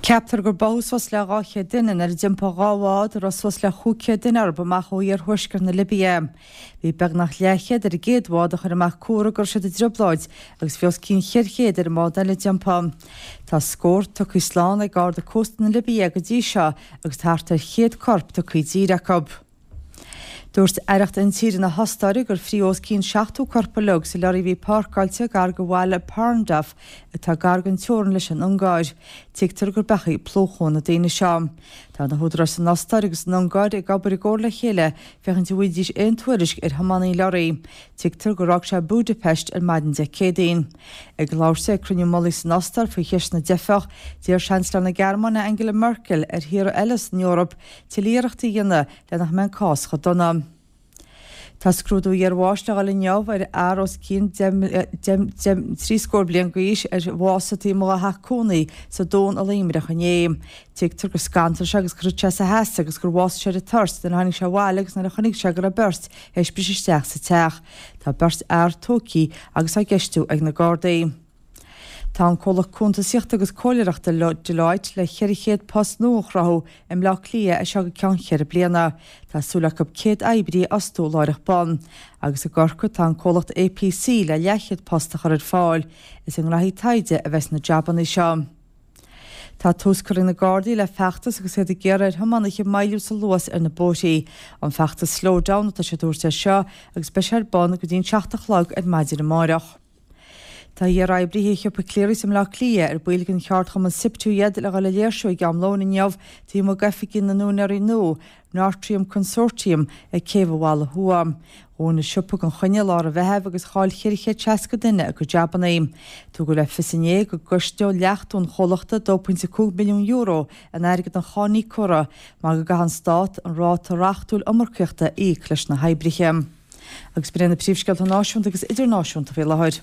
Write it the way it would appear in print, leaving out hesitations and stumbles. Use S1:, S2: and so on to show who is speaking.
S1: Ceaptar gur báthadh suas le 200 duine nuair a d'iompaigh 2 bhád a raibh suas le 500 duine orthu amach ó iarthuaisceart na Libia. Bhí beagnach leathchéad ar an gcéad bhád a chuir amach comhartha go raibh siad i dtrioblóid agus bhí os cionn 400 ar an mbád eile a d'iompaigh. Tá scór tugtha slán ag Garda Cósta na Libia go dtí seo agus tá thart ar 100 corp tugtha i dtír acu. Dúirt Aireacht Intíre na hOstáire gur fríodh os cionn 70 corp uilig sa leoraí a bhí páirceáilte gar do bhaile Parndorf atá gar don teorainn leis an Ungáir. Tuigtear gur beachaí plúchadh na daoine seo. Tá na húdaráis san Ostáir agus san Ungáir ag obair i gcomhar le chéile féachaint an bhfaighidís aon tuairisc ar thiománaí an leoraí. Tuigtear gur fhág sé Budapest ar maidin Dé Céadaoin. Ag labhairt di ag cruinniú mullaigh san Ostáir faoi cheist na dteifeach, d'iarr Seansailéir na Gearmáine Angela Merkel ar thíortha eile san Eoraip tuilleadh iarrachtaí a dhéanamh le nach mbeidh an cás chomh dona. Tá scrúdú iarbháis le dhul inniu ar fhear os cionn trí scór bliain d'aois ar bhásaigh taobh amuigh dá theach cónaí sa Dún i Luimneach inné. Tuigtear gur scantraigh sé agus gur thit sé as a sheasamh agus gur bhásaigh sé ar an toirt nuair a tháinig sé abhaile agus nuair a chonaic sé go raibh beirt théis briseadh isteach sa teach. Tá beirt fhear tógtha agus á gceistiú ag na Gardaí. Tá an comhlacht cuntasaíochta agus comhairleoireachta Deloitte le 400 post nua a chruthú i mBleá Cliath as seo go ceann cheithre bliana. Tá súil acu 100 oibrí a fhostú láithreach bonn. Agus i gCorcaigh tá an comhlacht APC le leathchéad post a chur ar fáil. Is i ngnóthaí taighde a bheas na jabanna seo. Tá tús curtha ag na Gardaí le feachtas agus iad ag iarraidh ar thiománaithe moilliú sa luas ar na bóithrí. An feachtas Slow Down atá siad a thabhairt air seo agus beidh sé ar bun go dtí an 7 a chlog ar maidin amáireach. Tá iar-oibrithe shiopa Clerys i mBleá Cliath, ar baill den cheardchumann Siptu iad, le dhul ag léirsiú ag am lóin inniu taobh amuigh d'oifigí na n-úinéirí nua, Nortrium Consortium, ag Céibh an Bhalla Thuaidh. Dhún an siopa gan choinne i lár an Mheithimh agus chaill 460 duine a gcuid jabannaí. Tugadh le fios inné go gcosnóidh leachtú an chomhlachta €2.5 milliún in airgead an cháiníocóra mar go gcaithfidh an Stát an ráta reachtúil iomarcaíochta a íoc leis na hoibrithe. Agus b'in iad na príomhscéalta náisiúnta agus idirnáisiúnta faoi láthair.